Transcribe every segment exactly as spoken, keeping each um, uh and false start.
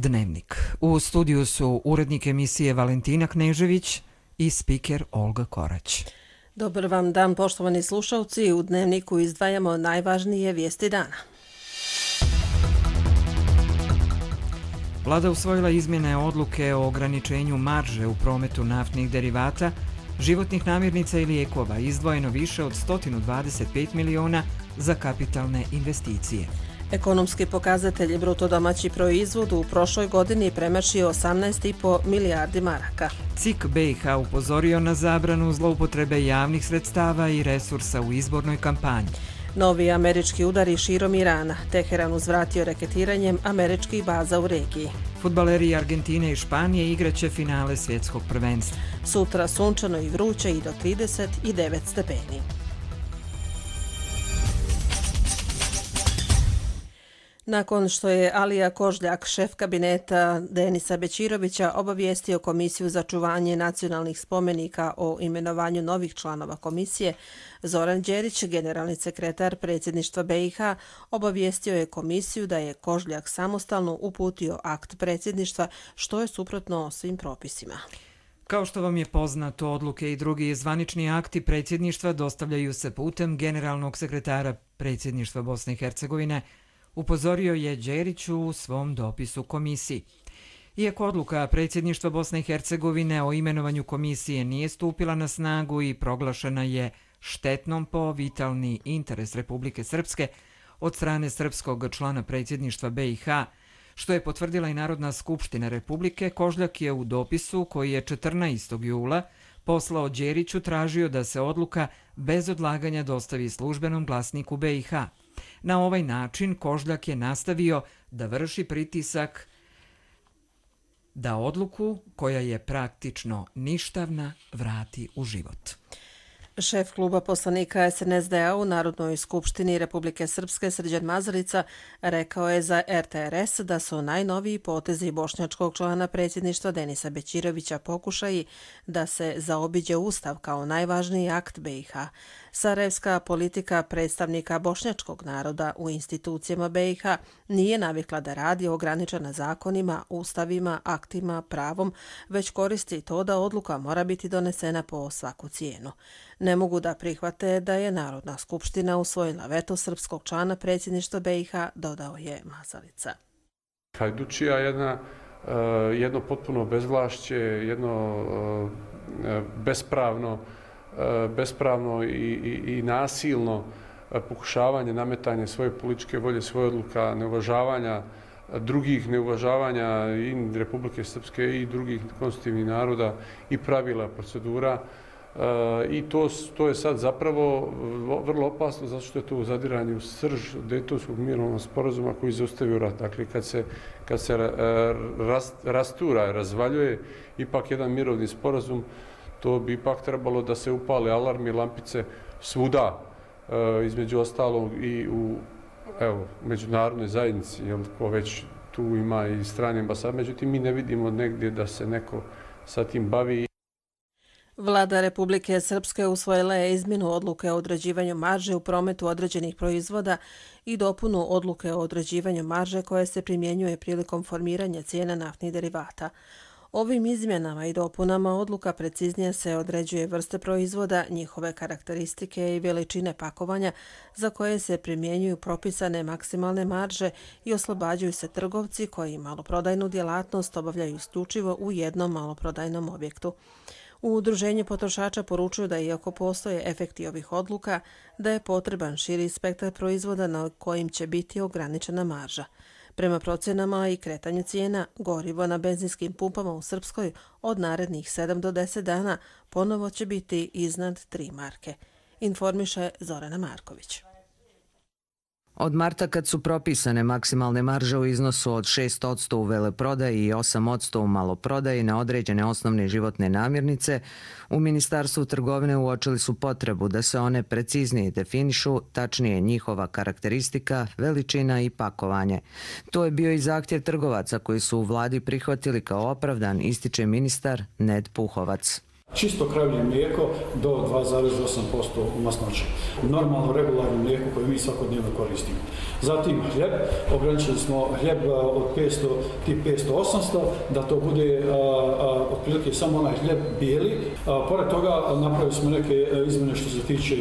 Dnevnik. U studiju su urednik emisije Valentina Knežević i spiker Olga Korać. Dobar vam dan, poštovani slušalci. U Dnevniku izdvajamo najvažnije vijesti dana. Vlada usvojila izmjene odluke o ograničenju marže u prometu naftnih derivata, životnih namirnica i lijekova, izdvojeno više od sto dvadeset pet miliona za kapitalne investicije. Ekonomski pokazatelji bruto domaći proizvod u prošloj godini premašio osamnaest i po milijardi maraka. C I K B i H upozorio na zabranu zloupotrebe javnih sredstava i resursa u izbornoj kampanji. Novi američki udari širom Irana. Teheran uzvratio reketiranjem američkih baza u regiji. Fudbaleri Argentine i Španije igraće finale svjetskog prvenstva. Sutra sunčano i vruće i do trideset devet stepeni. Nakon što je Alija Kožljak, šef kabineta Denisa Bećirovića, obavijestio Komisiju za čuvanje nacionalnih spomenika o imenovanju novih članova komisije, Zoran Đerić, generalni sekretar predsjedništva B i H, obavijestio je komisiju da je Kožljak samostalno uputio akt predsjedništva, što je suprotno svim propisima. Kao što vam je poznato, odluke i drugi zvanični akti predsjedništva dostavljaju se putem generalnog sekretara predsjedništva Bosne i Hercegovine, upozorio je Đerić u svom dopisu komisiji. Iako odluka predsjedništva Bosne i Hercegovine o imenovanju komisije nije stupila na snagu i proglašena je štetnom po vitalni interes Republike Srpske od strane srpskog člana predsjedništva B i H, što je potvrdila i Narodna skupština Republike, Kožljak je u dopisu koji je četrnaestog jula poslao Đeriću tražio da se odluka bez odlaganja dostavi službenom glasniku B i H. Na ovaj način Kožljak je nastavio da vrši pritisak da odluku, koja je praktično ništavna, vrati u život. Šef kluba poslanika S N S D-a u Narodnoj skupštini Republike Srpske Srđan Mazarica rekao je za R T R S da su najnoviji potezi bošnjačkog člana predsjedništva Denisa Bećirovića pokušaji da se zaobiđe Ustav kao najvažniji akt B i H. Sarajevska politika predstavnika bošnjačkog naroda u institucijama B i H nije navikla da radi ograničena zakonima, ustavima, aktima, pravom, već koristi to da odluka mora biti donesena po svaku cijenu. Ne mogu da prihvate da je Narodna skupština usvojila veto srpskog člana predsjedništva B i H, dodao je Mazalica. Hajdučija jedna, jedno potpuno bezvlašće, jedno bespravno, bespravno i, i, i nasilno pokušavanje nametanja svoje političke volje, svoje odluka, neuvažavanja drugih, neuvažavanja i Republike Srpske i drugih konstitutivnih naroda i pravila, procedura. I to, to je sad zapravo vrlo opasno zato što je to zadiranje u srž Dejtonskog mirovnog sporazuma koji zaustavio rat. Dakle, kad se, kad se rast, rastura, razvaljuje ipak jedan mirovni sporazum, to bi ipak trebalo da se upale alarmi, lampice svuda, između ostalog i u evo, međunarodnoj zajednici, jer ko već tu ima i strane ambasade. Međutim, mi ne vidimo negdje da se neko sa tim bavi. Vlada Republike Srpske usvojila je izmjenu odluke o određivanju marže u prometu određenih proizvoda i dopunu odluke o određivanju marže koja se primjenjuje prilikom formiranja cijena naftnih derivata. Ovim izmjenama i dopunama odluka preciznije se određuje vrste proizvoda, njihove karakteristike i veličine pakovanja za koje se primjenjuju propisane maksimalne marže i oslobađaju se trgovci koji maloprodajnu djelatnost obavljaju isključivo u jednom maloprodajnom objektu. U Udruženju potrošača poručuju da iako postoje efekti ovih odluka, da je potreban širi spektar proizvoda na kojim će biti ograničena marža. Prema procenama i kretanju cijena, gorivo na benzinskim pumpama u Srpskoj od narednih sedam do deset dana ponovo će biti iznad tri marke, informiše Zorana Marković. Od marta, kad su propisane maksimalne marže u iznosu od šest posto u veleprodaji i osam posto u maloprodaji na određene osnovne životne namirnice, u Ministarstvu trgovine uočili su potrebu da se one preciznije definišu, tačnije njihova karakteristika, veličina i pakovanje. To je bio i zahtjev trgovaca koji su u vladi prihvatili kao opravdan, ističe ministar Ned Puhovac. Čisto kravlje mlijeko do dva zarez osam posto masnoće. Normalno regularno mlijeko koje mi svakodnevno koristimo. Zatim hljeb, ograničili smo hljeb od petsto, tip petsto osamsto, da to bude a, a, otprilike samo onaj hljeb bijeli. A, pored toga napravili smo neke izmjene što se tiče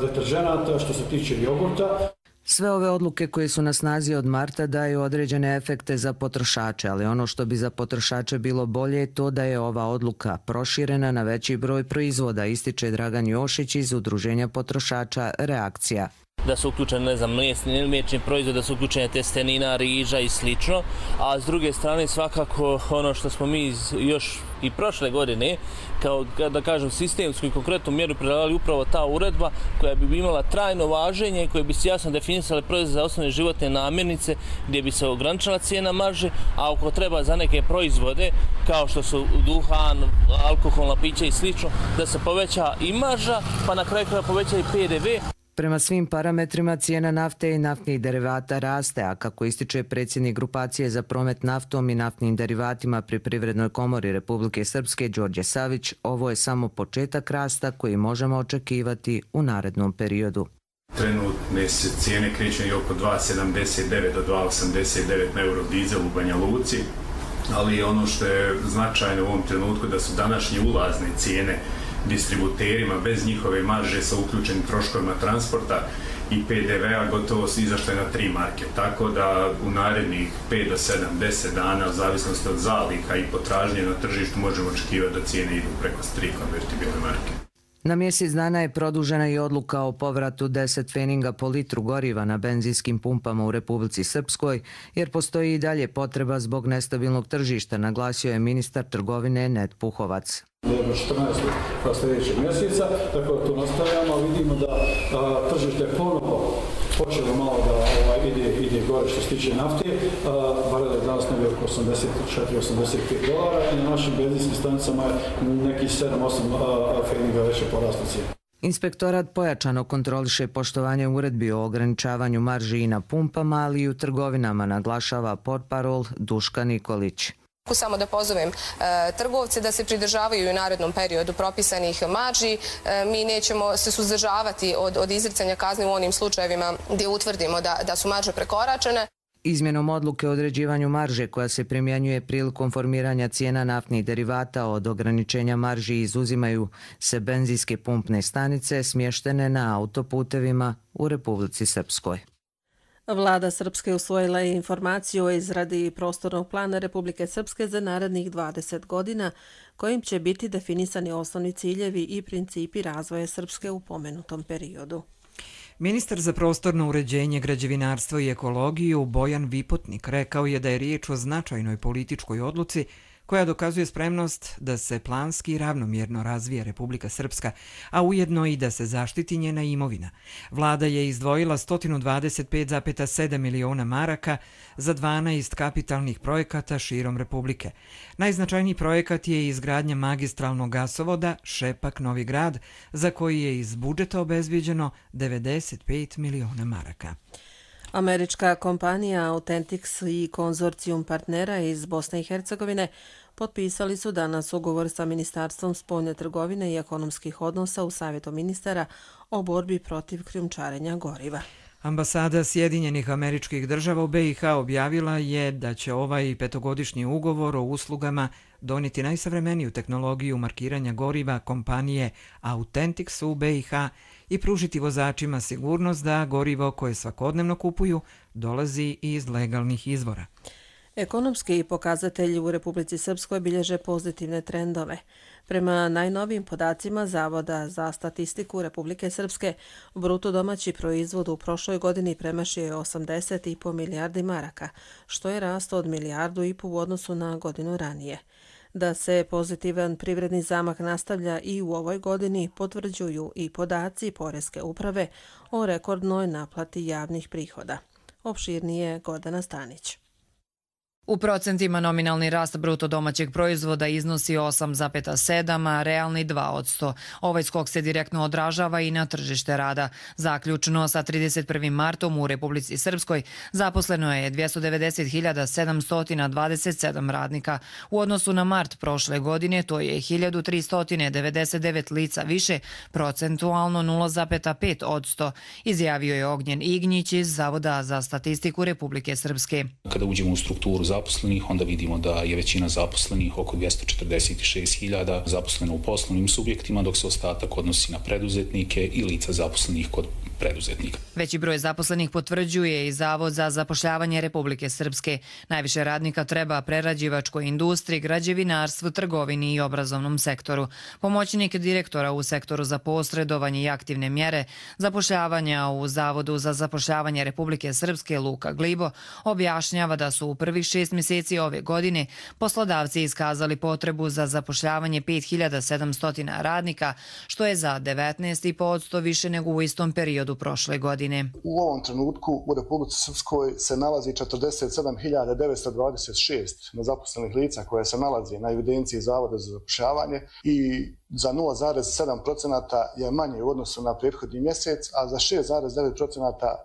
deterženata, što se tiče jogurta. Sve ove odluke koje su na snazi od marta daju određene efekte za potrošače, ali ono što bi za potrošače bilo bolje je to da je ova odluka proširena na veći broj proizvoda, ističe Dragan Jošić iz Udruženja potrošača Reakcija. Da su uključene, ne znam, mliječni, mliječni proizvod, da su uključene testenina, riža i slično, a s druge strane svakako ono što smo mi još i prošle godine, kao da kažem sistemsku i konkretnu mjeru predlagali upravo ta uredba koja bi imala trajno važenje, koja bi se jasno definisale proizvode za osnovne životne namirnice, gdje bi se ograničila cijena marže, a ako treba za neke proizvode kao što su duhan, alkoholna pića i slično, da se poveća i marža, pa na kraju krajeva poveća i P D V. Prema svim parametrima cijena nafte i naftnih derivata raste, a kako ističe predsjednik grupacije za promet naftom i naftnim derivatima pri Privrednoj komori Republike Srpske Đorđe Savić, ovo je samo početak rasta koji možemo očekivati u narednom periodu. Trenutne se cijene kreću oko dva sedamdeset devet do dva osamdeset devet na eurodizel u Banja Luci, ali ono što je značajno u ovom trenutku da su današnje ulazne cijene distributerima bez njihove marže sa uključenim troškovima transporta i P D V-a gotovo izašle na tri marke. Tako da u narednih pet do sedam, deset dana, u zavisnosti od zaliha i potražnje na tržištu, možemo očekivati da cijene idu preko tri konvertibilne marke. Na mjesec dana je produžena i odluka o povratu deset pfeninga po litru goriva na benzinskim pumpama u Republici Srpskoj, jer postoji i dalje potreba zbog nestabilnog tržišta, naglasio je ministar trgovine Ned Puhovac. Do četrnaestog sljedećeg mjeseca, tako da to nastavljamo, vidimo da a, tržište ponovo počelo malo da ovaj, ide, ide gore što se tiče nafte, barel je danas negdje oko osamdeset četiri osamdeset pet dolara i na našim benzinskim stanicama je nekih sedam osam pfeninga veće porasta cijena. Inspektorat pojačano kontroliše poštovanje uredbi o ograničavanju marži i na pumpama, ali i u trgovinama, naglašava portparol Duška Nikolić. Samo da pozovem e, trgovce da se pridržavaju u narednom periodu propisanih marži. E, mi nećemo se suzdržavati od, od izricanja kazni u onim slučajevima gdje utvrdimo da, da su marže prekoračene. Izmjenom odluke o određivanju marže koja se primjenjuje prilikom formiranja cijena naftnih derivata od ograničenja marži izuzimaju se benzinske pumpne stanice smještene na autoputevima u Republici Srpskoj. Vlada Srpske usvojila je informaciju o izradi prostornog plana Republike Srpske za narednih dvadeset godina, kojim će biti definisani osnovni ciljevi i principi razvoja Srpske u pomenutom periodu. Ministar za prostorno uređenje, građevinarstvo i ekologiju Bojan Vipotnik rekao je da je riječ o značajnoj političkoj odluci koja dokazuje spremnost da se planski i ravnomjerno razvija Republika Srpska, a ujedno i da se zaštiti njena imovina. Vlada je izdvojila sto dvadeset pet zarez sedam miliona maraka za dvanaest kapitalnih projekata širom Republike. Najznačajniji projekat je izgradnja magistralnog gasovoda Šepak-Novi Grad, za koji je iz budžeta obezbijeđeno devedeset pet miliona maraka. Američka kompanija Authentics i konzorcijum partnera iz Bosne i Hercegovine potpisali su danas ugovor sa Ministarstvom spoljne trgovine i ekonomskih odnosa u Savjetu ministara o borbi protiv krijumčarenja goriva. Ambasada Sjedinjenih Američkih Država u B i H objavila je da će ovaj petogodišnji ugovor o uslugama donijeti najsavremeniju tehnologiju markiranja goriva kompanije Authentics u B i H i pružiti vozačima sigurnost da gorivo koje svakodnevno kupuju dolazi iz legalnih izvora. Ekonomski pokazatelji u Republici Srpskoj bilježe pozitivne trendove. Prema najnovijim podacima Zavoda za statistiku Republike Srpske, bruto domaći proizvod u prošloj godini premašio je osamdeset i po milijardi maraka, što je rast od milijardu i po u odnosu na godinu ranije. Da se pozitivan privredni zamak nastavlja i u ovoj godini potvrđuju i podaci Poreske uprave o rekordnoj naplati javnih prihoda. Opširnije Gordana Stanić. U procentima nominalni rast bruto domaćeg proizvoda iznosi osam zarez sedam, a realni dva posto. Ovaj skok se direktno odražava i na tržište rada. Zaključno sa trideset prvim martom u Republici Srpskoj zaposleno je dvjesto devedeset hiljada sedamsto dvadeset sedam radnika. U odnosu na mart prošle godine to je hiljadu tristo devedeset devet lica više, procentualno nula zarez pet posto, izjavio je Ognjen Ignjić iz Zavoda za statistiku Republike Srpske. Kada uđemo u strukturu zaposlenih, onda vidimo da je većina zaposlenih, oko dvjesto četrdeset šest hiljada, zaposleno u poslovnim subjektima, dok se ostatak odnosi na preduzetnike i lica zaposlenih kod preduzetnika. Veći broj zaposlenih potvrđuje i Zavod za zapošljavanje Republike Srpske. Najviše radnika treba prerađivačkoj industriji, građevinarstvu, trgovini i obrazovnom sektoru. Pomoćnik direktora u sektoru za posredovanje i aktivne mjere zapošljavanja u Zavodu za zapošljavanje Republike Srpske Luka Glibo objašnjava da su u prvih šest mjeseci ove godine poslodavci iskazali potrebu za zapošljavanje pet hiljada sedamsto radnika, što je za devetnaest zarez pet posto više nego u istom periodu prošle godine. U ovom trenutku u Republici Srpskoj se nalazi četrdeset sedam hiljada devetsto dvadeset šest nezaposlenih lica koje se nalazi na evidenciji Zavoda za zapošljavanje i za nula zarez sedam posto je manje u odnosu na prethodni mjesec, a za šest zarez devet posto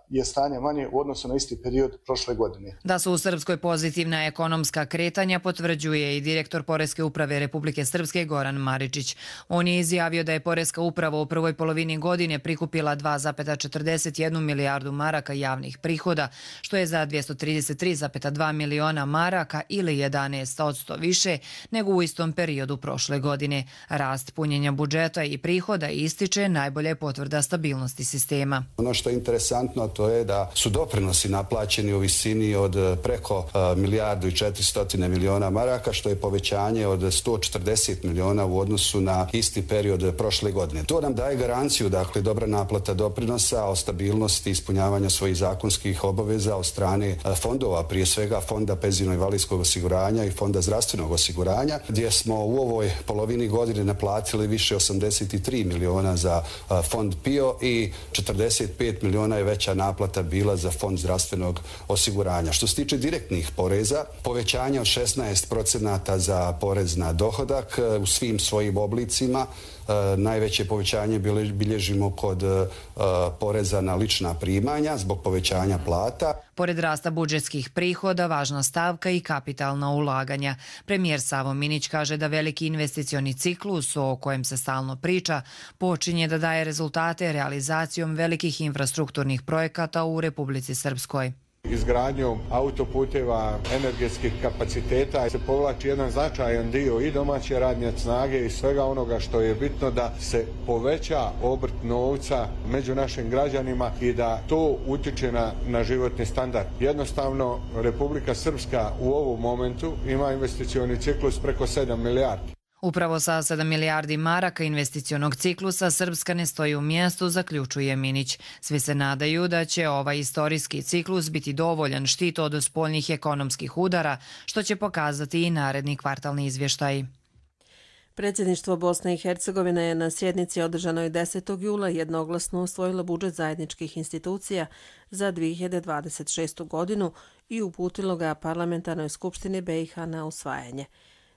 je stanje manje u odnosu na isti period prošle godine. Da su u Srpskoj pozitivna ekonomska kretanja potvrđuje i direktor Poreske uprave Republike Srpske Goran Maričić. On je izjavio da je Poreska uprava u prvoj polovini godine prikupila dva zarez četrdeset jednu milijardu maraka javnih prihoda, što je za dvjesto trideset tri zarez dva miliona maraka ili jedanaest posto više nego u istom periodu prošle godine. Rast punjenja budžeta i prihoda ističe najbolje potvrda stabilnosti sistema. Ono što je interesantno to je da su doprinosi naplaćeni u visini od preko milijardu i četiristo miliona maraka, što je povećanje od sto četrdeset miliona u odnosu na isti period prošle godine. To nam daje garanciju, dakle, dobra naplata doprinosa o stabilnosti ispunjavanja svojih zakonskih obaveza od strane fondova, prije svega Fonda penzijsko-invalidskog osiguranja i Fonda zdravstvenog osiguranja, gdje smo u ovoj polovini godine naplatili više osamdeset tri miliona za Fond P I O i četrdeset pet miliona je veća naplata bila za Fond zdravstvenog osiguranja. Što se tiče direktnih poreza, povećanje od šesnaest procenata za porez na dohodak u svim svojim oblicima. Najveće povećanje bilježimo kod poreza na lična primanja zbog povećanja plata. Pored rasta budžetskih prihoda, važna stavka i kapitalna ulaganja. Premijer Savo Minić kaže da veliki investicioni ciklus, o kojem se stalno priča, počinje da daje rezultate realizacijom velikih infrastrukturnih projekata u Republici Srpskoj. Izgradnjom autoputeva, energetskih kapaciteta se povlači jedan značajan dio i domaće radne snage i svega onoga što je bitno da se poveća obrt novca među našim građanima i da to utiče na, na životni standard. Jednostavno, Republika Srpska u ovom momentu ima investicioni ciklus preko sedam milijardi. Upravo sa sedam milijardi maraka investicionog ciklusa Srpska ne stoji u mjestu, zaključuje Minić. Svi se nadaju da će ovaj istorijski ciklus biti dovoljan štit od spoljnih ekonomskih udara, što će pokazati i naredni kvartalni izvještaj. Predsjedništvo Bosne i Hercegovine je na sjednici održanoj desetog jula jednoglasno usvojilo budžet zajedničkih institucija za dvije hiljade dvadeset šestu godinu i uputilo ga Parlamentarnoj skupštini B i H na usvajanje.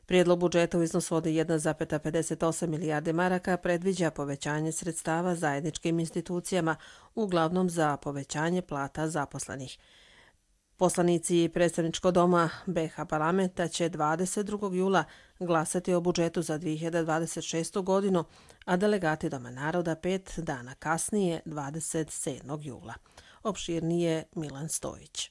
Prijedlog budžeta u iznosu od jedna zarez pedeset osam milijarde maraka predviđa povećanje sredstava zajedničkim institucijama, uglavnom za povećanje plata zaposlenih. Poslanici predstavničkog doma B i H parlamenta će dvadeset drugog jula glasati o budžetu za dvije hiljade dvadeset šestu godinu, a delegati Doma naroda pet dana kasnije, dvadeset sedmog jula. Opširnije Milan Stojić.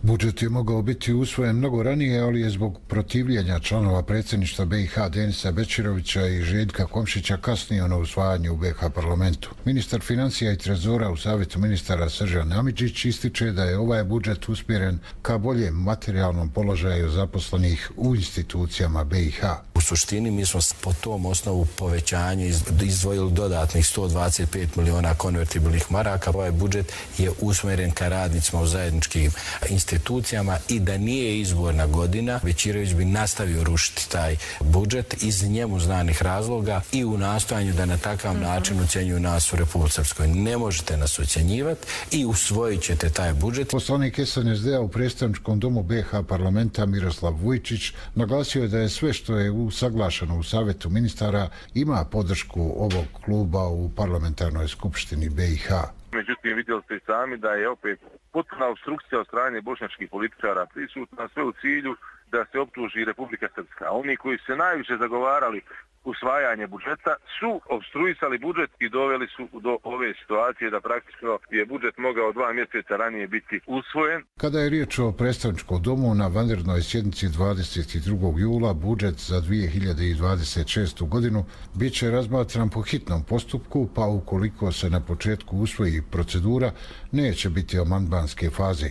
Budžet je mogao biti usvojen mnogo ranije, ali je zbog protivljenja članova predsjedništva B i H Denisa Bečirovića i Željka Komšića kasnio na usvajanje u B i H parlamentu. Ministar financija i trezora u savjetu ministara Sržan Amidžić ističe da je ovaj budžet usmjeren ka boljem materijalnom položaju zaposlenih u institucijama B i H. U suštini mi smo po tom osnovu povećanja izdvojili dodatnih sto dvadeset pet miliona konvertibilnih maraka. Ovaj budžet je usmjeren ka radnicima u zajedničkim institucijama i da nije izborna godina, Bećirović bi nastavio rušiti taj budžet iz njemu znanih razloga i u nastojanju da na takav način ucenjuju nas u Republici Srpskoj. Ne možete nas ucenjivati i usvojit ćete taj budžet. Poslanik S N S D-a u predstavničkom domu B H parlamenta Miroslav Vujčić naglasio je da je sve što je usaglašeno u Savjetu ministara ima podršku ovog kluba u parlamentarnoj skupštini B i H. Međutim, vidjeli ste i sami da je opet potpuna obstrukcija od strane bošnjačkih političara prisutna, sve u cilju da se optuži Republika Srpska. Oni koji se najviše zagovarali usvajanje budžeta su obstruisali budžet i doveli su do ove situacije da praktično je budžet mogao dva mjeseca ranije biti usvojen. Kada je riječ o predstavničkom domu, na vanrednoj sjednici dvadeset drugog jula budžet za dvije hiljade dvadeset šestu godinu bit će razmatran po hitnom postupku, pa ukoliko se na početku usvoji procedura, neće biti amandmanske faze.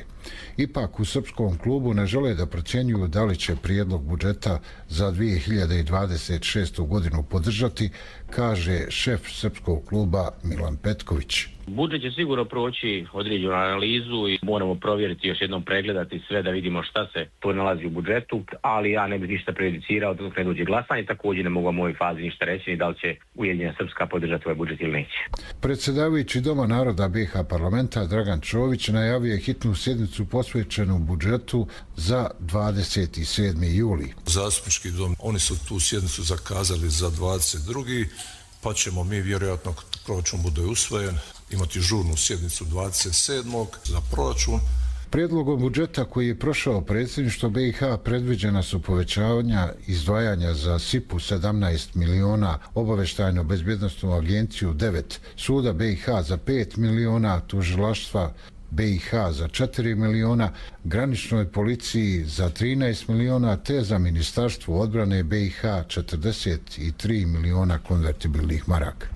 Ipak u Srpskom klubu ne žele da procjenjuju da li će prijedlog budžeta za dvije hiljade dvadeset šestu godinu podržati, kaže šef Srpskog kluba Milan Petković. Budžet će sigurno proći određenu analizu i moramo provjeriti, još jednom pregledati sve da vidimo šta se to nalazi u budžetu, ali ja ne bih ništa prejudicirao dok ne dođe glasanje, također ne mogu u ovoj fazi ništa reći ni da li će Ujedinjena Srpska podržati ovaj budžet ili neće. Predsjedavajući Doma naroda B H parlamenta Dragan Čović najavio je hitnu sjednicu posvećenu budžetu za dvadeset sedmi juli. Zastupnički dom, oni su tu sjednicu zakazali za dvadeset drugi pa ćemo mi vjerojatno, proračun bude usvojen, imati žurnu sjednicu dvadeset sedmog za proračun. Prijedlogom budžeta koji je prošao predsjedništvo B i H predviđena su povećavanja izdvajanja za S I P-u sedamnaest miliona, obavještajno bezbjednostnu agenciju devet, suda B i H za pet miliona, tužilaštva B i H za četiri miliona, graničnoj policiji za trinaest miliona, te za Ministarstvo odbrane B i H četrdeset tri miliona konvertibilnih maraka.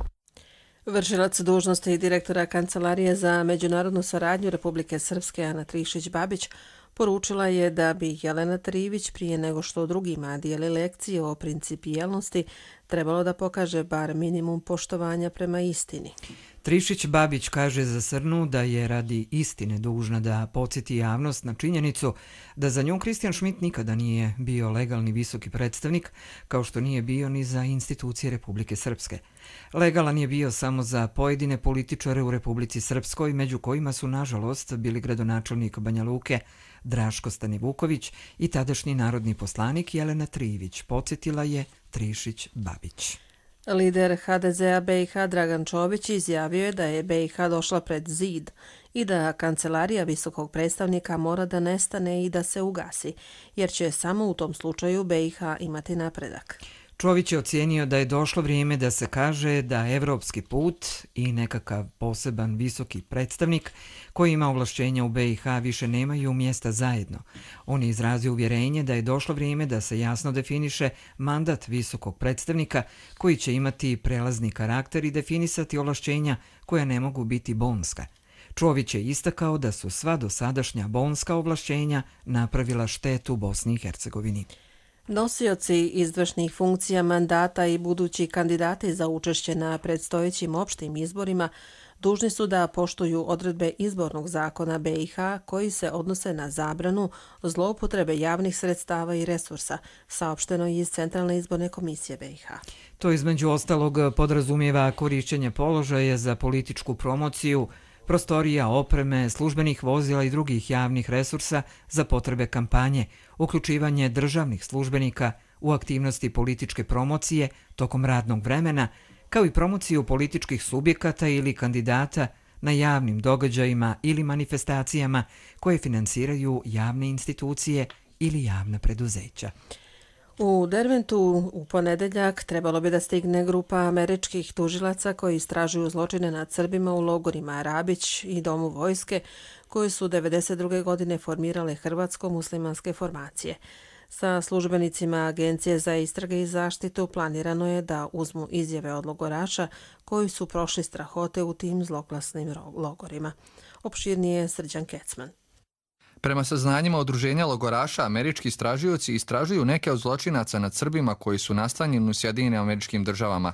Vršilac dužnosti direktora Kancelarije za međunarodnu saradnju Republike Srpske Ana Trišić-Babić poručila je da bi Jelena Trivić prije nego što drugima dijeli lekcije o principijelnosti trebalo da pokaže bar minimum poštovanja prema istini. Trišić-Babić kaže za Srnu da je radi istine dužna da podsjeti javnost na činjenicu da za nju Kristijan Šmit nikada nije bio legalni visoki predstavnik, kao što nije bio ni za institucije Republike Srpske. Legalan je bio samo za pojedine političare u Republici Srpskoj, među kojima su nažalost bili gradonačelnik Banja Luke Draško Stanivuković i tadašnji narodni poslanik Jelena Trivić, podsjetila je Trišić-Babić. Lider H D Z-a B i H Dragan Čović izjavio je da je B i H došla pred zid i da kancelarija visokog predstavnika mora da nestane i da se ugasi, jer će samo u tom slučaju B i H imati napredak. Čović je ocijenio da je došlo vrijeme da se kaže da evropski put i nekakav poseban visoki predstavnik koji ima ovlašćenja u B i H više nemaju mjesta zajedno. On je izrazio uvjerenje da je došlo vrijeme da se jasno definiše mandat visokog predstavnika koji će imati prelazni karakter i definisati ovlašćenja koja ne mogu biti bonska. Čović je istakao da su sva dosadašnja bonska ovlašćenja napravila štetu Bosni i Hercegovini. Nosioci izvršnih funkcija mandata i budući kandidati za učešće na predstojećim opštim izborima dužni su da poštuju odredbe izbornog zakona B i H koji se odnose na zabranu zloupotrebe javnih sredstava i resursa, saopšteno iz Centralne izborne komisije B i H. To između ostalog podrazumijeva korišćenje položaja za političku promociju, prostorija, opreme, službenih vozila i drugih javnih resursa za potrebe kampanje, uključivanje državnih službenika u aktivnosti političke promocije tokom radnog vremena, kao i promociju političkih subjekata ili kandidata na javnim događajima ili manifestacijama koje finansiraju javne institucije ili javna preduzeća. U Derventu u ponedeljak trebalo bi da stigne grupa američkih tužilaca koji istražuju zločine nad Srbima u logorima Rabić i Domu vojske, koji su devedeset druge godine formirale hrvatsko-muslimanske formacije. Sa službenicima Agencije za istrage i zaštitu planirano je da uzmu izjave od logoraša koji su prošli strahote u tim zloglasnim logorima. Opširnije Srđan Kecman. Prema saznanjima udruženja logoraša, američki istražioci istražuju neke od zločinaca nad Srbima koji su nastanjeni u Sjedinjenim Američkim Državama.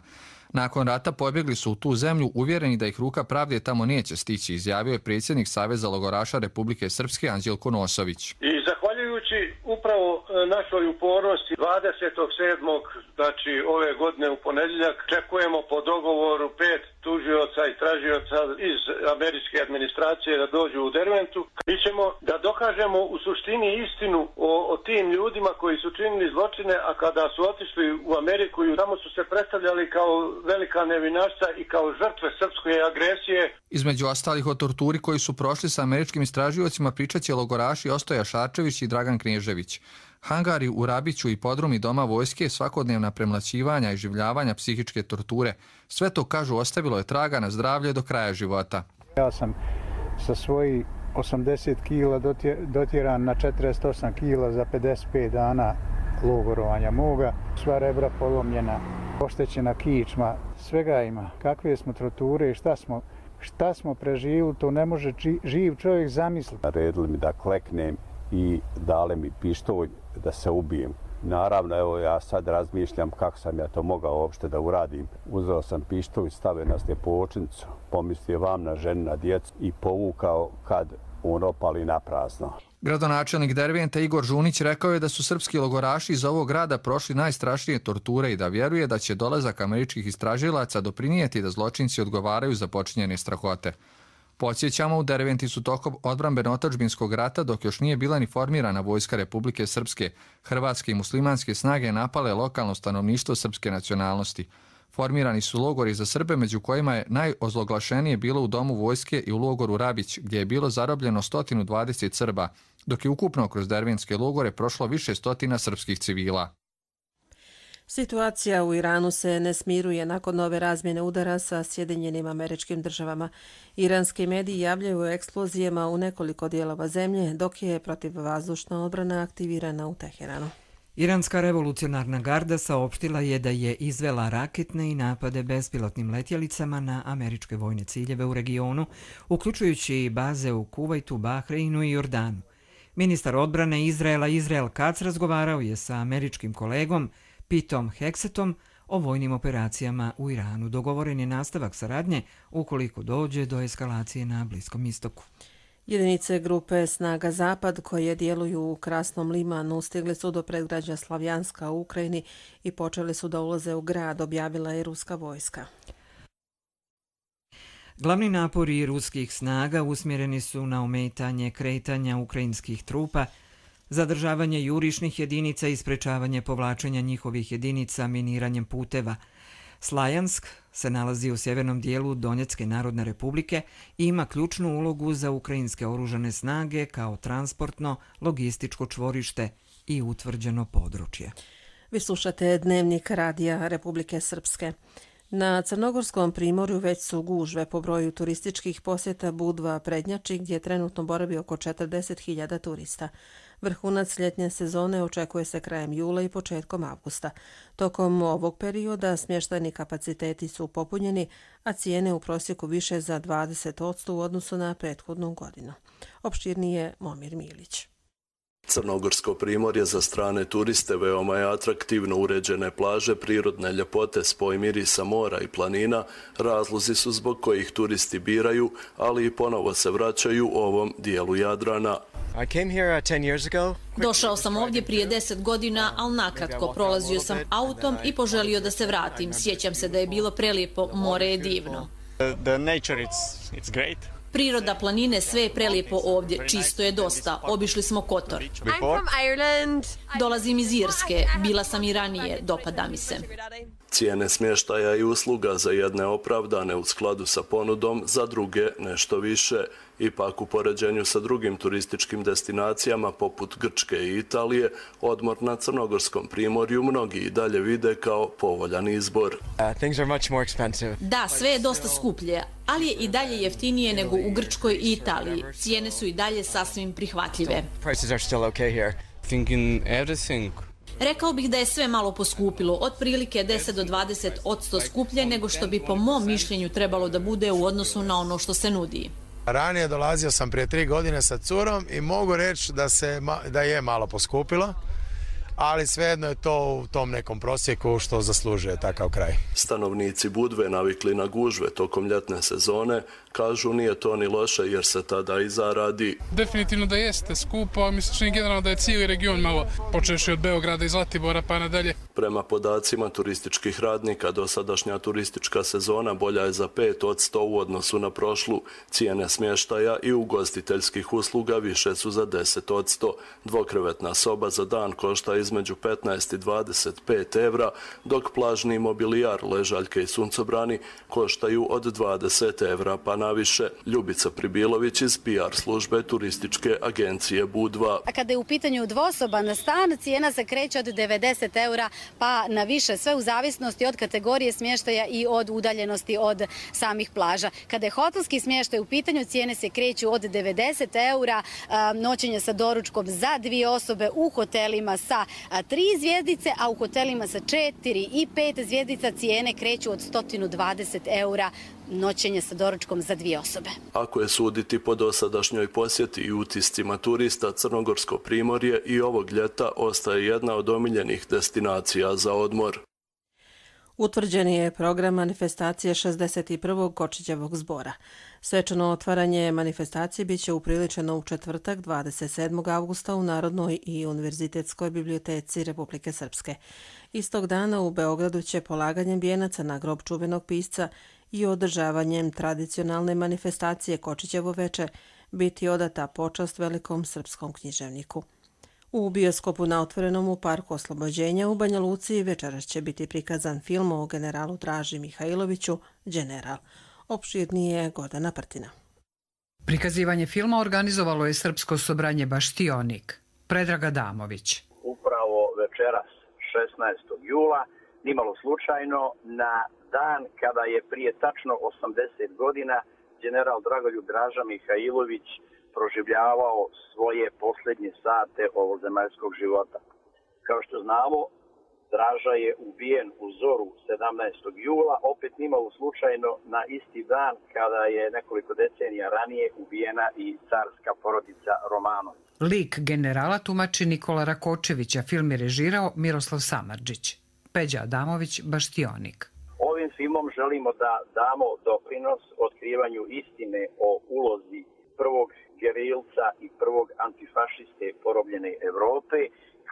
Nakon rata pobjegli su u tu zemlju uvjereni da ih ruka pravde tamo neće stići, izjavio je predsjednik Saveza logoraša Republike Srpske Anđelko Nosović. I zahvaljujući upravo našoj upornosti dvadesetog sedmog znači ove godine u ponedjeljak čekujemo po dogovoru pet tužioca i tražioca iz američke administracije da dođu u Derventu. Mi ćemo da dokažemo u suštini istinu o, o tim ljudima koji su činili zločine, a kada su otišli u Ameriku i tamo su se predstavljali kao velika nevinašca i kao žrtve srpske agresije. Između ostalih o torturi koji su prošli sa američkim istražiocima pričat će logoraši Ostoja Šarčević i Dragan Knježević. Hangari u Rabiću i podrumi Doma vojske, svakodnevna premlaćivanja i življavanja psihičke torture. Sve to, kažu, ostavilo je traga na zdravlje do kraja života. Ja sam sa svojih osamdeset kila dotjeran na četrdeset osam kila za pedeset pet dana logorovanja moga. Sva rebra polomljena, oštećena kičma, svega ima. Kakve smo torture i šta smo, šta smo preživili, to ne može živ čovjek zamisliti. Naredili mi da kleknem i dali mi pištolj da se ubijem. Naravno, evo ja sad razmišljam kako sam ja to mogao uopšte da uradim. Uzeo sam pištolj, stavio na sljepočnicu, pomislio vam na ženu, na djecu i povukao kad on opali na prazno. Gradonačelnik Derventa Igor Žunić rekao je da su srpski logoraši iz ovog grada prošli najstrašnije torture i da vjeruje da će dolazak američkih istražilaca doprinijeti da zločinci odgovaraju za počinjene strahote. Podsjećamo, u Derventi su tokom odbrambeno-otadžbinskog rata, dok još nije bila ni formirana vojska Republike Srpske, hrvatske i muslimanske snage napale lokalno stanovništvo srpske nacionalnosti. Formirani su logori za Srbe, među kojima je najozloglašenije bilo u Domu vojske i u logoru Rabić, gdje je bilo zarobljeno sto dvadeset Srba, dok je ukupno kroz derventske logore prošlo više stotina srpskih civila. Situacija u Iranu se ne smiruje nakon nove razmjene udara sa Sjedinjenim Američkim Državama. Iranski mediji javljaju o eksplozijama u nekoliko dijelova zemlje, dok je protivvazdušna odbrana aktivirana u Teheranu. Iranska revolucionarna garda saopštila je da je izvela raketne i napade bespilotnim letjelicama na američke vojne ciljeve u regionu, uključujući i baze u Kuvajtu, Bahreinu i Jordanu. Ministar odbrane Izraela Izrael Katz razgovarao je sa američkim kolegom Pitom Heksetom o vojnim operacijama u Iranu. Dogovoren je nastavak saradnje ukoliko dođe do eskalacije na Bliskom istoku. Jedinice grupe Snaga Zapad koje djeluju u Krasnom Limanu stigli su do predgrađa Slavjanska u Ukrajini i počeli su da ulaze u grad, objavila je ruska vojska. Glavni napori ruskih snaga usmjereni su na ometanje kretanja ukrajinskih trupa, zadržavanje jurišnih jedinica i sprečavanje povlačenja njihovih jedinica miniranjem puteva. Slajansk se nalazi u sjevernom dijelu Donjecke narodne republike i ima ključnu ulogu za ukrajinske oružane snage kao transportno, logističko čvorište i utvrđeno područje. Vi slušate Dnevnik Radija Republike Srpske. Na Crnogorskom primorju već su gužve po broju turističkih posjeta Budva Prednjači, gdje trenutno boravi oko četrdeset hiljada turista. Vrhunac ljetnje sezone očekuje se krajem jula i početkom avgusta. Tokom ovog perioda smještajni kapaciteti su popunjeni, a cijene u prosjeku više za dvadeset posto u odnosu na prethodnu godinu. Opširnije Momir Milić. Crnogorsko primorje za strane turiste veoma je atraktivno, uređene plaže, prirodne ljepote, spoj mirisa mora i planina, razlozi su zbog kojih turisti biraju, ali i ponovo se vraćaju ovom dijelu Jadrana. Došao sam ovdje prije deset godina, ali nakratko prolazio sam autom i poželio da se vratim. Sjećam se da je bilo prelijepo, more je divno. Priroda, planine, sve je prelijepo ovdje, čisto je dosta. Obišli smo Kotor. Dolazim iz Irske, bila sam i ranije, dopada mi se. Cijene smještaja i usluga za jedne opravdane u skladu sa ponudom, za druge nešto više. Ipak u poređenju sa drugim turističkim destinacijama poput Grčke i Italije, odmor na Crnogorskom primorju mnogi i dalje vide kao povoljan izbor. Da, sve je dosta skuplje, ali je i dalje jeftinije nego u Grčkoj i Italiji. Cijene su i dalje sasvim prihvatljive. Rekao bih da je sve malo poskupilo, otprilike deset do dvadeset posto skuplje nego što bi po mom mišljenju trebalo da bude u odnosu na ono što se nudi. Ranije dolazio sam prije tri godine sa curom i mogu reći da, se, da je malo poskupilo, ali svejedno je to u tom nekom prosjeku što zaslužuje takav kraj. Stanovnici Budve navikli na gužve tokom ljetne sezone, kažu nije to ni loše jer se tada i zaradi. Definitivno da jeste skupo, mislim generalno da je cijeli region malo počevši od Beograda i Zlatibora pa nadalje. Prema podacima turističkih radnika, dosadašnja turistička sezona bolja je za pet posto u odnosu na prošlu. Cijene smještaja i ugostiteljskih usluga više su za deset posto. Dvokrevetna soba za dan košta između petnaest i dvadeset pet evra, dok plažni mobilijar, ležaljke i suncobrani koštaju od dvadeset evra pa naviše. Ljubica Pribilović iz P R službe turističke agencije Budva. A kada je u pitanju dvosoban stan, cijena se kreće od devedeset eura pa na više, sve u zavisnosti od kategorije smještaja i od udaljenosti od samih plaža. Kada je hotelski smještaj u pitanju, cijene se kreću od devedeset eura, noćenje sa doručkom za dvije osobe u hotelima sa tri zvjezdice, a u hotelima sa četiri i pet zvjezdica cijene kreću od sto dvadeset eura noćenje sa doručkom za dvije osobe. Ako je suditi po dosadašnjoj posjeti i utiscima turista, Crnogorsko primorje i ovog ljeta ostaje jedna od omiljenih destinacija za odmor. Utvrđen je program manifestacije šezdeset prvog Kočićevog zbora. Svečano otvaranje manifestacije biće upriličeno u četvrtak dvadeset sedmog avgusta u Narodnoj i Univerzitetskoj biblioteci Republike Srpske. Istog dana u Beogradu će polaganjem vijenaca na grob čuvenog pisca i održavanjem tradicionalne manifestacije Kočićevo veče biti odata počast velikom srpskom književniku. U bioskopu na otvorenom u Parku Oslobođenja u Banja Luci večeras će biti prikazan film o generalu Draži Mihajloviću, General. Opširnije Gordana Prtina. Prikazivanje filma organizovalo je Srpsko sobranje Baštionik. Predrag Adamović. Upravo večeras šesnaestog jula, nimalo slučajno, na dan kada je prije tačno osamdeset godina general Dragoljub Draža Mihajlović proživljavao svoje posljednje sate ovozemaljskog života. Kao što znamo, Draža je ubijen u zoru sedamnaestog jula, opet nimalo slučajno na isti dan kada je nekoliko decenija ranije ubijena i carska porodica Romanović. Lik generala tumači Nikola Rakočević, a film je režirao Miroslav Samardžić. Peđa Adamović, Baštionik. Ovim filmom želimo da damo doprinos otkrivanju istine o ulozi prvog gerilca i prvog antifašiste porobljene Evrope,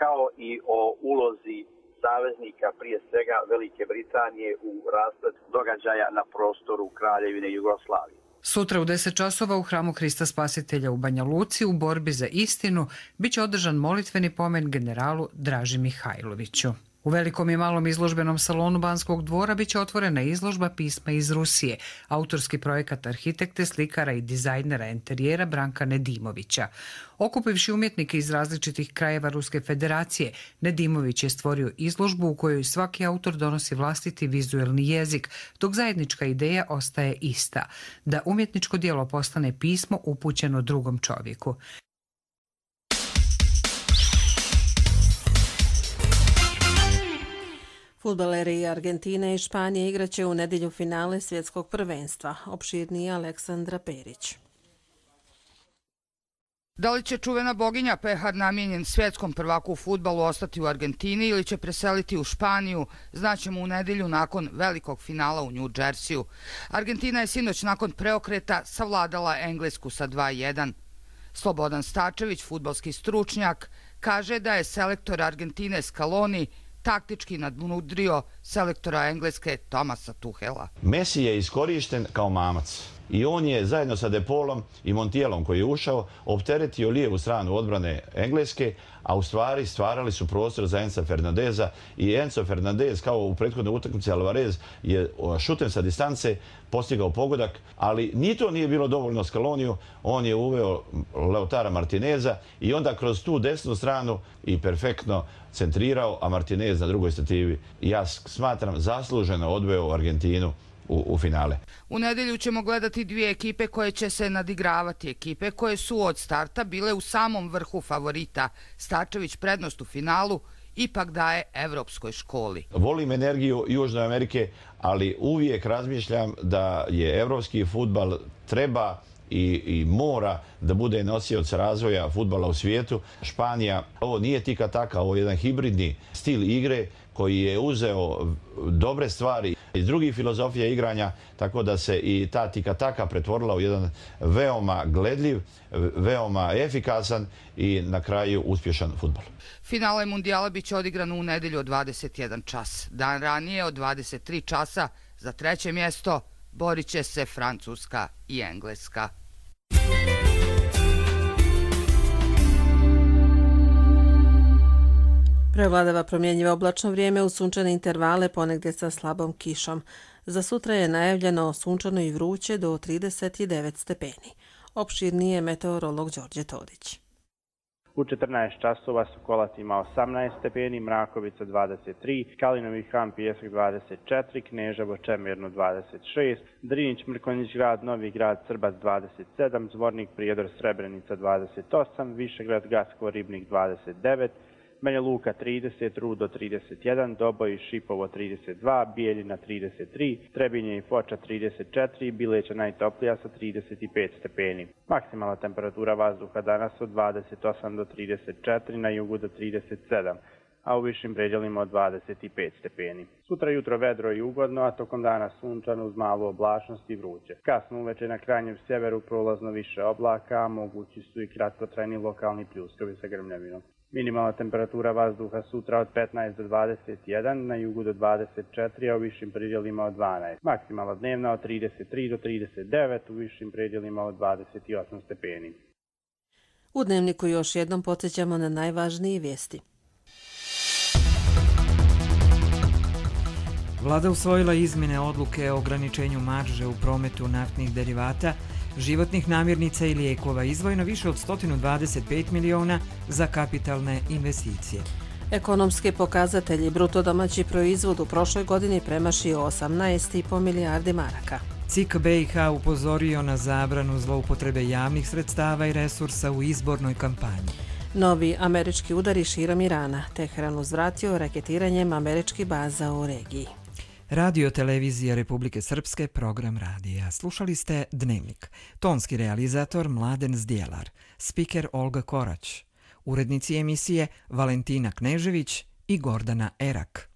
kao i o ulozi saveznika, prije svega Velike Britanije, u raspletu događaja na prostoru Kraljevine Jugoslavije. Sutra u deset časova u Hramu Hrista Spasitelja u Banja Luci u borbi za istinu biće održan molitveni pomen generalu Draži Mihajloviću. U velikom i malom izložbenom salonu Banskog dvora biće otvorena izložba pisma iz Rusije, autorski projekat arhitekte, slikara i dizajnera interijera Branka Nedimovića. Okupivši umjetnike iz različitih krajeva Ruske federacije, Nedimović je stvorio izložbu u kojoj svaki autor donosi vlastiti vizuelni jezik, dok zajednička ideja ostaje ista, da umjetničko djelo postane pismo upućeno drugom čovjeku. Fudbaleri Argentine i Španije igraće u nedjelju finale svjetskog prvenstva. Opširnije Aleksandra Perić. Da li će čuvena boginja pehar namijenjen svjetskom prvaku u fudbalu ostati u Argentini ili će preseliti u Španiju, znaćemo u nedjelju nakon velikog finala u New Jersey-u. Argentina je sinoć nakon preokreta savladala Englesku sa dva jedan. Slobodan Stačević, fudbalski stručnjak, kaže da je selektor Argentine Scaloni taktički nadmudrio selektora Engleske Thomasa Tuhela. Messi je iskorišten kao mamac i on je zajedno sa Depolom i Montielom koji je ušao opteretio lijevu stranu odbrane Engleske, a u stvari stvarali su prostor za Enza Fernandeza i Enzo Fernandez kao u prethodnoj utakmici Alvarez je šutem sa distance postigao pogodak, ali ni to nije bilo dovoljno Scaloniju, on je uveo Lautara Martineza i onda kroz tu desnu stranu i perfektno centrirao, a Martinez na drugoj stativi, ja smatram, zasluženo odveo Argentinu U, u finale. U nedjelju ćemo gledati dvije ekipe koje će se nadigravati. Ekipe koje su od starta bile u samom vrhu favorita. Stačević prednost u finalu ipak daje evropskoj školi. Volim energiju Južne Amerike, ali uvijek razmišljam da je evropski fudbal treba i, i mora da bude nosioc razvoja fudbala u svijetu. Španija, ovo nije tika taka, ovo je jedan hibridni stil igre koji je uzeo dobre stvari iz drugih filozofija igranja, tako da se i ta tika-taka pretvorila u jedan veoma gledljiv, veoma efikasan i na kraju uspješan fudbal. Finale mundijala biće odigrano u nedelju od dvadeset jedan čas. Dan ranije od dvadeset tri časa za treće mjesto borit će se Francuska i Engleska. Prevladava promjenjivo oblačno vrijeme u sunčane intervale, ponegdje sa slabom kišom. Za sutra je najavljeno sunčano i vruće do trideset devet stepeni. Opširnije meteorolog Đorđe Todić. U četrnaest časova Sokolac ima osamnaest stepeni, Mrakovica dvadeset tri, Kalinovi Han Pijesak dvadeset četiri, Kneževo Čemirno dvadeset šest, Drinić Mrkonjić Grad, Novi Grad Srbac dvadeset sedam, Zvornik Prijedor Srebrenica dvadeset osam, Višegrad Gasko Ribnik dvadeset devet, Banja Luka trideset, Rudo trideset jedan, Doboj i Šipovo trideset dva, Bijeljina trideset tri, Trebinje i Foča trideset četiri, Bileća najtoplija sa trideset pet stepeni. Maksimalna temperatura vazduha danas od dvadeset osam do trideset četiri, na jugu do trideset sedam, a u višim predjelima od dvadeset pet stepeni. Sutra jutro vedro i ugodno, a tokom dana sunčano uz malu oblačnost i vruće. Kasno uveče na krajnjem sjeveru prolazno više oblaka, a mogući su i kratkotrajni lokalni pljuskovi sa grmljavinom. Minimalna temperatura vazduha sutra od petnaest do dvadeset jedan, na jugu do dvadeset četiri, a u višim predjelima od dvanaest. Maksimalna dnevna od trideset tri do trideset devet, u višim predjelima od dvadeset osam stepeni. U Dnevniku još jednom podsjećamo na najvažnije vijesti. Vlada usvojila izmjene odluke o ograničenju marže u prometu naftnih derivata, životnih namirnica i lijekova, izdvojeno više od sto dvadeset pet miliona za kapitalne investicije. Ekonomski pokazatelji, bruto domaći proizvod u prošloj godini premašio osamnaest i po milijardi maraka. C I K B i H upozorio na zabranu zloupotrebe javnih sredstava i resursa u izbornoj kampanji. Novi američki udari širom Irana. Teheran uzvratio raketiranjem američkih baza u regiji. Radio Televizija Republike Srpske, program radija. Slušali ste Dnevnik. Tonski realizator Mladen Zdjelar, spiker Olga Korać, urednici emisije Valentina Knežević i Gordana Erak.